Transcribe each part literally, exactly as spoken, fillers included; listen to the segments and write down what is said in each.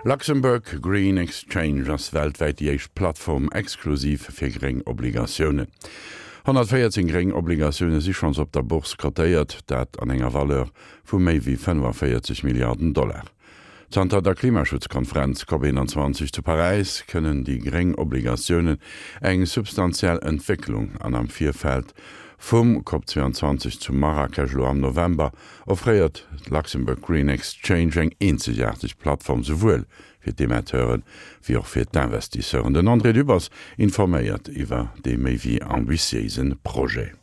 Luxembourg Green Exchange ass weltwäit déi éischt Plattform exklusiv fir gréng Obligatiounen. honnertvéierzéng gréng Obligatioune si schonns op der Bourse kotéiert, dat an enger Valeur vu méi wéi fënnefavéierzeg Milliarden Dollar. Zanter der Klimaschutzkonferenz Cop eenanzwanzeg zu Paräis kënnen déi gréng Obligatiounen eng substantiell Entwécklung an am Virfeld vum Cop zweiandzwanzeg zu Marrakesch elo am November offréiert d'Luxembourg Green Exchange eng eenzegaarteg Plattform souwuel fir d'Emetteuren, wéi och fir d'Investisseuren. Den André Dübbers informéiert iwwer dee méi wéi ambitiéise Projet.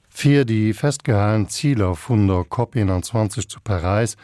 Fir déi festgehalen Ziler vun der Cop eenanzwanzeg zu Paräis,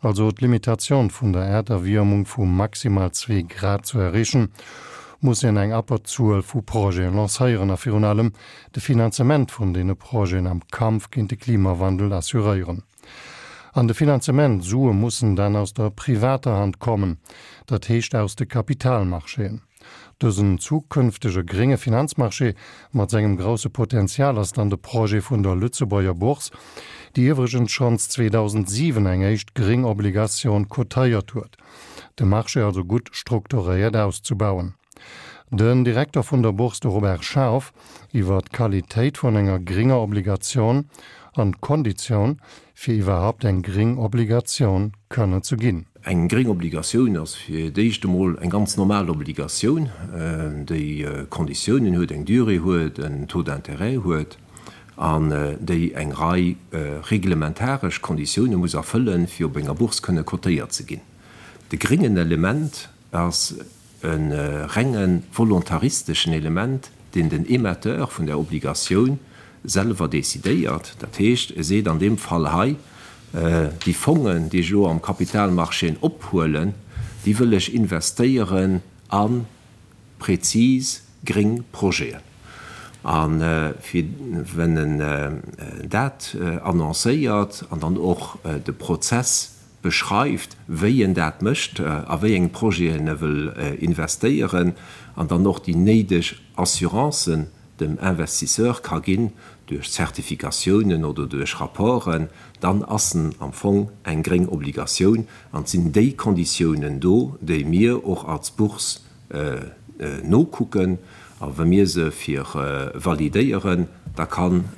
also d'Limitatioun vun der Äerderwiermung vu maximal zwee Grad ze erreechen, muss een eng Abberzuel vu Projeten lancéieren a virun allem de Finanzement vun deene Projeten am Kampf géint de Klimawandel assuréieren. An de Finanzement, Sue mussen dann aus der privater Hand kommen, dat heescht aus de Kapitalmarchéen. Dësen zukünftege grénge Finanzmarché mat sengem grousse Potenzial ass dann de Projet vun der Lëtzebuerger Bourse, déi iwwregens schonns zweedausendsiwen eng éischt gréng Obligatioun cotéiert huet, de Marché also gutt strukturéiert auszebauen. Den Direkter vun der Bourse, de Robert Scharf, iwwer d'Qualitéit vun enger grénger Obligatioun an d'Konditioun, fir iwwerhaupt eng gréng Obligatioun kënnen ze ginn. Eng gréng Obligatioun ass fir d'éischt emol eng ganz normal Obligatioun, déi Konditiounen huet, eng Durée huet, en Taux d'intérêt huet an déi eng Rei reglementaresch Konditioune muss erfëllen, fir op enger Bourse kënne cotéiert ze ginn. De gréngen Element ass e renge volontaristeschen Element, deen den Emetteur vun der Obligatioun selwer decidéiert. Dat heescht, e seet an deem Fall hei, Déi Fongen, déi ech elo am Kapitalmarchéen ophuelen, déi wëll ech investéieren a prezis gréng Projeten. A fir wenn en dat annoncéiert an dann och de Prozess beschreift, wéi en dat mécht, a wéi eng Projeten e wëll investéieren an dann och déi néideg Assurancen dem Investisseur ka ginn duerch Zertifikatiounen oder duerch Rapporten, dann ass en am Fong eng gréng Obligatioun an et sinn déi Konditiounen do, déi mir och als Bourse nokucken a wa mir se fir validéieren, da kann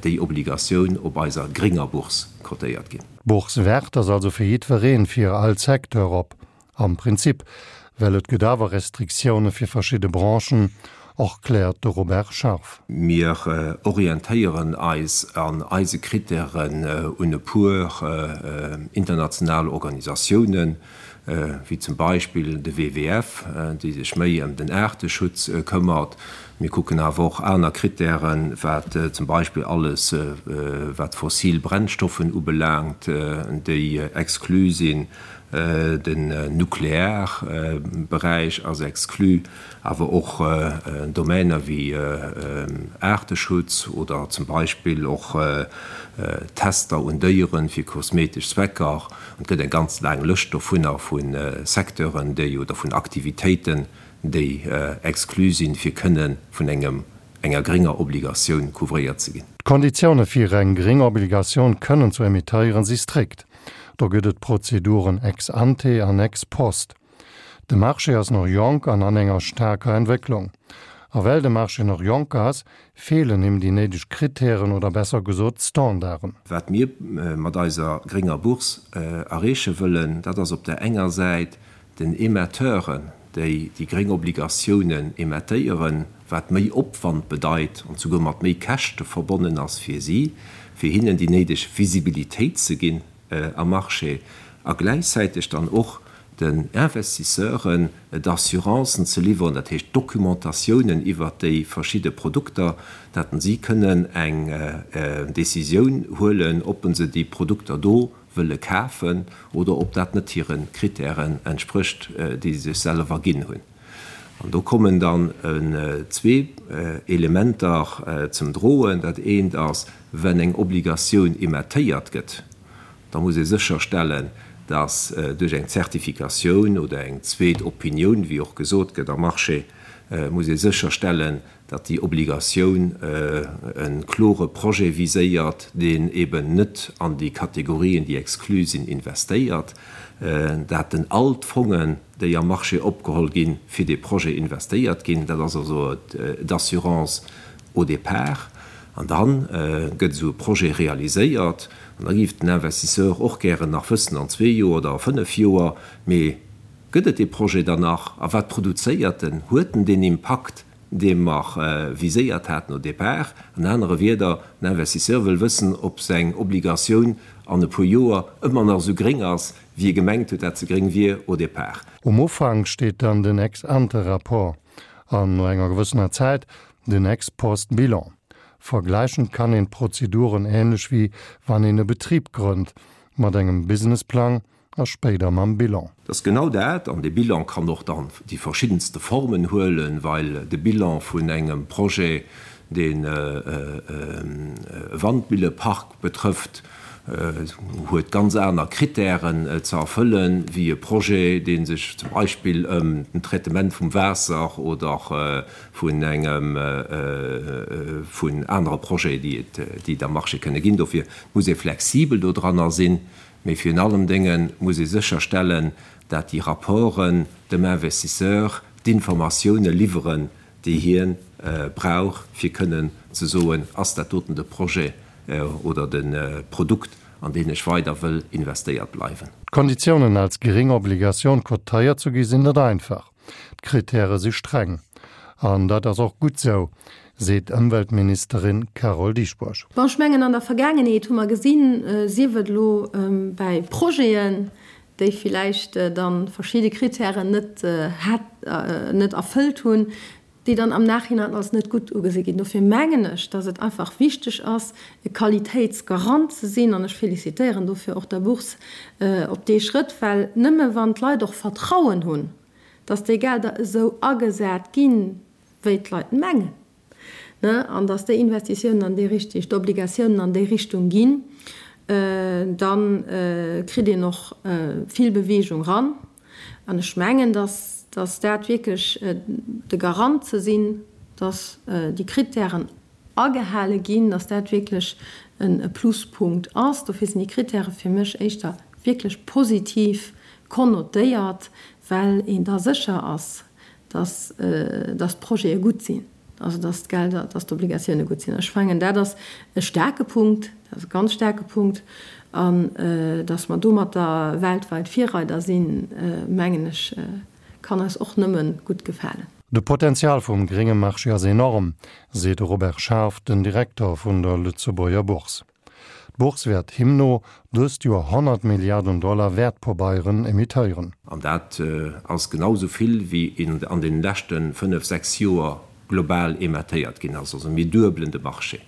déi Obligatioun op eiser grénger Bourse cotéiert ginn. D'Bourse verte ass also fir jiddwereen, fir all Secteur op, am Prinzip, well et gëtt awer Restriktioune fir verschidde Branchen, erkläert de Robert Scharf. Mir orientéieren eis an eise Krittären un e puer international Organisatiounen, wéi zum Beispill de W W F, déi sech méi ëm den Aarteschutz këmmert. Mir kucken awer och aner Krittären, wat zum Beispill alles, wat fossil Brennstoffen ubelaangt, déi exclu sinn. Den Nuklearberäich ass exclu, awer och Domainer wéi Aarteschutz oder zum Beispill och Tester un Déieren fir kosmetesch Zwecker. Et gëtt eng ganz laang Lëscht dovunner vu Secteuren, déi oder vun Aktivitéiten, déi exclu sinn, fir kënne vun engem enger grénger Obligatioun couvréiert ze ginn. D'Konditioune fir eng gréng Obligatioun kënnen ze emittéieren si strikt. Do gëtt et Prozeduren ex ante an ex post. De Marché ass nach jonk an an enger staarker Entwécklung. A well de Marché nach jonk ass, feelen him déi néideg Krittären oder besser gesot Standarden. Wat mir mat eiser grénger Bourse erreeche wëllen, dat ass op där enger Säit den Emetteuren, déi déi gréng Obligatiounen emettéieren, wat méi Opwand bedeit an souguer mat méi Käschte verbonnen ass fir si, fir hinnen déi néideg Visibilitéit ze ginn am Marché a gläichzäiteg dann och den Investisseuren d'Assurancen ze liwweren, dat heescht d'Documentatiounen iwwert déi verschidde Produkter, datt si kënnen eng Décisioun huelen, ob se déi Produkter do wëlle kafen oder ob dat net hire Krittären entsprécht, déi se sech selwer ginn hunn. An do kommen dann zwee Elementer zum Droen. Dat eent ass, wenn eng Obligatioun emettéiert gëtt, da muss ee sécherstellen, datt duerch eng Zertifikatioun oder eng zweet Opinioun, wéi och gesot gëtt am Marché, muss ee sécherstellen, datt déi Obligatioun e klore Projet viséiert, deen eben net an déi Kategorien, déi exclu sinn, investéiert, dat den all d'Fongen, déi am Marché opgeholl ginn, fir dee Projet investéiert ginn. Dat ass also d'Assurance au départ. An da gëtt esou e Projet realiséiert. An da géif den Investisseur och gären nach wëssen an zwee Joer oder a fënnef Joer, mee gëtt et dee Projet dann nach a wat produzéiert en? Huet en deen Impakt, dee mer viséiert haten au départ? An anere Wierder, den Investisseur wëll wëssen, ob seng Obligatioun an e puer Joer ëmmer nach esou gréng ass, wéi e gemengt huet, dat se gréng wier au départ. Um Ufank steet dann den Ex-ante-Rapport an no enger gewëssener Zäit den Ex-post-Bilan. Vergläichen kann een d'Prozeduren änlech wéi wann een e Betrib grënnt, mat engem Businessplang a spéider mam Bilan. Dat ass genau dat. An dee Bilan kann och dann déi verschiddenste Formen huelen, well de Bilan vun engem Projet, deen e Wandmillepark betrëfft, huet ganz aner Kritären ze erfëllen, wéi e Projet, dee sech zum Beispill ëm den Traitement vum Waasser oder vun engem, vun anere Projeten, déi et, déi et am Marché kënne ginn. Dofir muss ee flexibel dodranner sinn, mee virun allem Dénge muss ee sécherstellen, dat déi Rapporten dem Investisseur d'Informatioune liwweren, déi hie brauch, fir kënnen ze soen, Ass dat doten de Projet oder de Produkt, an deen ech weider wëll investéiert bleiwen? D'Konditiounen als gréng Obligatioun kotéiert ze gi sinn net einfach. D'Krittäre si streng. An dat ass och gutt sou, seet d'Ëmweltministerin Carole Dieschbourg. Bon, ech mengen, an der Vergaangenheet hu mer gesinn, sief et elo bäi Projeten, déi villäicht da verschidde Krittären net hat, net erfëllt hunn, déi dann am Nachhinein als net gutt ugesi ginn. Dofir mengen ech, dass et einfach wichteg ass, e Qualitéitsgarant ze sinn, an ech félicitéieren dofir och der Bourse op dee Schrëtt, well nëmme wann d'Leit och Vertrauen hunn, dass déi Gelder esou agesat ginn, wéi d'Leit mengen, ne, an dass déi Investitiounen an déi Richtung, d'Obligatiounen an déi Richtung ginn, da kritt een och vill Bewegung ran. An ech mengen, dass, dass dat wierklech de Garant ze sinn, dass déi Krittären agehale ginn, dass dat wierklech e Pluspunkt ass. Dofir sinn déi Krittäre fir mech éischter wierklech positiv konnotéiert, well een da sécher ass, dass, dass d'Projete gutt sinn, also dass d'Gelder, dass d'Obligatioune gutt sinn. Ech mengen, dat ass e staarke Punkt, dat ass e ganz staarke Punkt. An dass mer domatter weltwäit Virreider sinn, mengen ech, kann eis och nëmme gutt gefalen. De Potenzial vum grénge Marché ass enorm, seet de Robert Scharf, den Direkter vun der Lëtzebuerger Bourse. D'Bourse wäert him no dëst Joer honnert Milliarden Dollar Wäertpabeieren emittéieren. An dat ass genau esou vill, wéi an deene leschte fënnef, sechs Joer global emettéiert ginn ass. Also mir duebelen de Marché.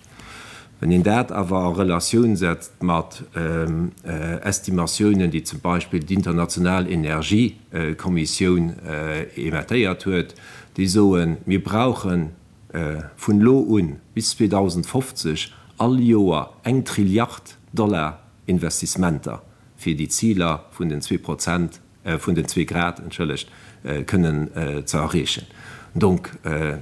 Wann een dat awer a Relatioun setzt mat Estimatiounen, déi zum Beispill d'International Energiekommissioun emettéiert huet, déi soen, mir brauche vun elo un bis zweedausendfofzeg all Joer eng Trilliard Dollar Investissementer, fir déi Ziler vun den zwee Prozent, vun den zwee Grad, entschëllegt, kënnen ze erreechen. Donc,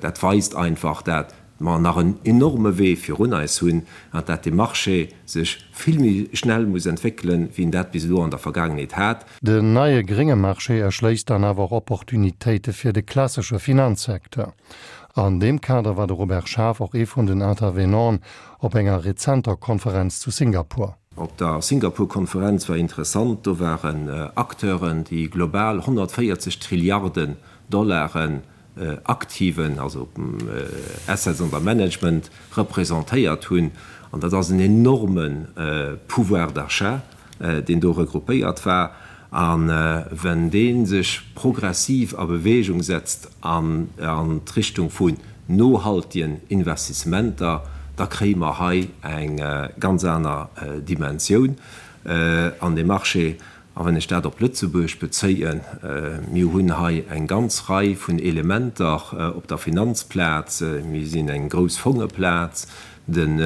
dat weist einfach, dat mer nach en enorme Wee virun eis hunn an dat dee Marché sech vill méi schnell muss entwéckelen, wéi en dat bis elo an der Vergaangenheet hat. Den neie grénge Marché erschléisst dann awer och Opportunitéite fir de klassesche Finanzsecteur. An deem Kader war de Robert Schaaf och ee vun den Intervenanten op enger rezenter Konferenz zu Singapur. Op der Singapur-Konferenz war interessant, do waren Acteuren, déi global honnertvéierzeg Trilliarden Dollaren Aktiven, also Assets under Management, representéiert hunn. An dat ass en enorme Pouvoir d'achat, deen do regroupéiert war. A wenn dee sech progressiv a Bewegung setzt an d'Richtung vun nohaltegen Investissementer, da kréie mer hei eng ganz aner Dimensioun an deem Marché. A wann ech dat op Lëtzebuerg bezéien, mir hunn hei eng ganz Rei vun Elementer op der Finanzplaz, mir sinn eng grouss Fongeplaz, Den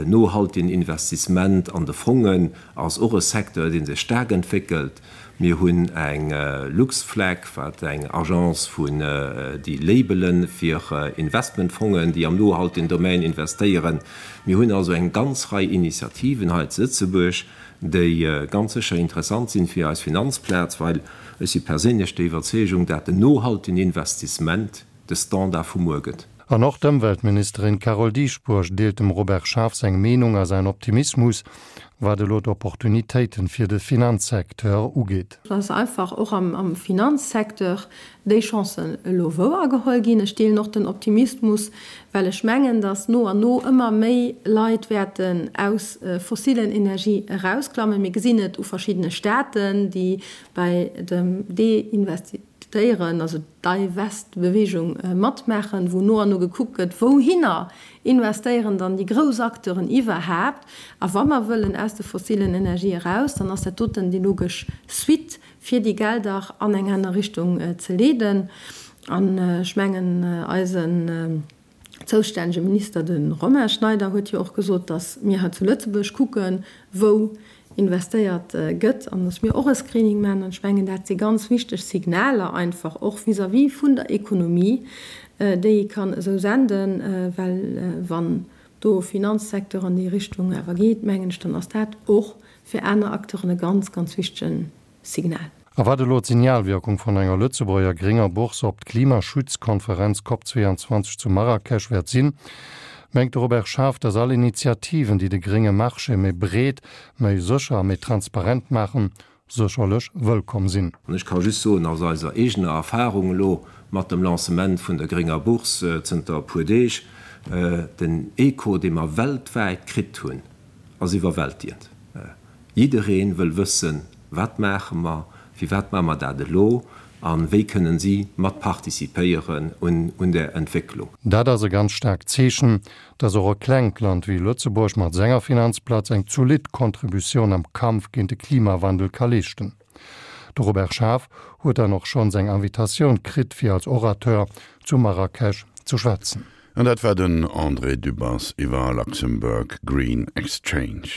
nohaltegen Investissement an de Fongen ass och e Secteur, dee sech staark entwéckelt. Mir hunn eng LuxFlag, wat eng Agence vun déi Labele fir Investmentfongen, déi am nohaltegen Domaine investéieren. Mir hunn also eng ganz Rei Initiativen hei zu Lëtzebuerg, déi ganz sécher interessant sinn fir eis Finanzplaz, well ech si perséinlech der Iwwerzeegung, dat den nohaltegen Investissement de Standard vu muer gëtt. An och d'Ëmweltministerin Carole Dieschbourg deelt dem Robert Schaaf seng Meenung a säin Optimismus, wat elo d'Opportunitéiten fir de Finanzsecteur ugeet. Dass einfach och am Finanzsecteur déi Chancen elo wouergeholl ginn. Ech deelen och den Optimismus, well ech mengen, dass no an no ëmmer méi Leit wäerten aus fossilen Energie erausklammen. Mir gesinn et u verschiddene Staaten, déi bei dem Deinvestitéieren, also Divest-Beweegung matmaachen, wou no an no gekuckt gëtt, wouhinner investéieren dann déi grouss Acteuren iwwerhaapt. A wa mer wëllen aus de fossilen Energië eraus, dann ass dat doten déi logesch Suite, fir déi Gelder an eng aner Richtung ze leeden. An ech mengen, eisen zoustännege Minister, de Romain Schneider, huet jo och gesot, datt mir hei zu Lëtzebuerg kucken, wou investéiert gëtt an datt mir och e Screening maachen. An ech mengen, dat si ganz wichteg Signaler einfach och vis-à-vis vun der Ekonomie, déi ee kann esou senden, well wann do Finanzsecteur an déi Richtung awer geet, mengen ech, dann ass dat och fir aner Acteuren e ganz, ganz wichtege Signal. A wat elo d'Signalwirkung vun enger Lëtzebuerger grénger Bourse op d'Klimaschutzkonferenz Cop zweiundzwanzeg zu Marrakesch wäert sinn, mengt de Robert Schaaf, datt all Initiativen, déi de grénge Marché méi breet, méi sécher a méi transparent maachen, sécherlech wëllkomm sinn. An ech ka just soen, aus eiser eegener Erfahrung elo mat dem Lancement vun der grénger Bourse zënter e puer Deeg, den Echo, dee mer weltwäit kritt hunn, ass iwwerwältigend. Jidderee wëll wëssen, Wat maache mer? Firwat maache mer dat elo? A wéi kënnen si mat participéieren un där Entwécklung? Dat ass e ganz staarkt Zeechen, dass och e klengt Land wéi Lëtzebuerg mat senger Finanzplaz eng zolidd Contributioun am Kampf géint de Klimawandel ka leeschten. De Robert Schaaf huet dann och schonns eng Invitatioun kritt fir als Orateur zu Marrakesch ze schwätzen. An dat war den André Dübbers iwwer Luxembourg Green Exchange.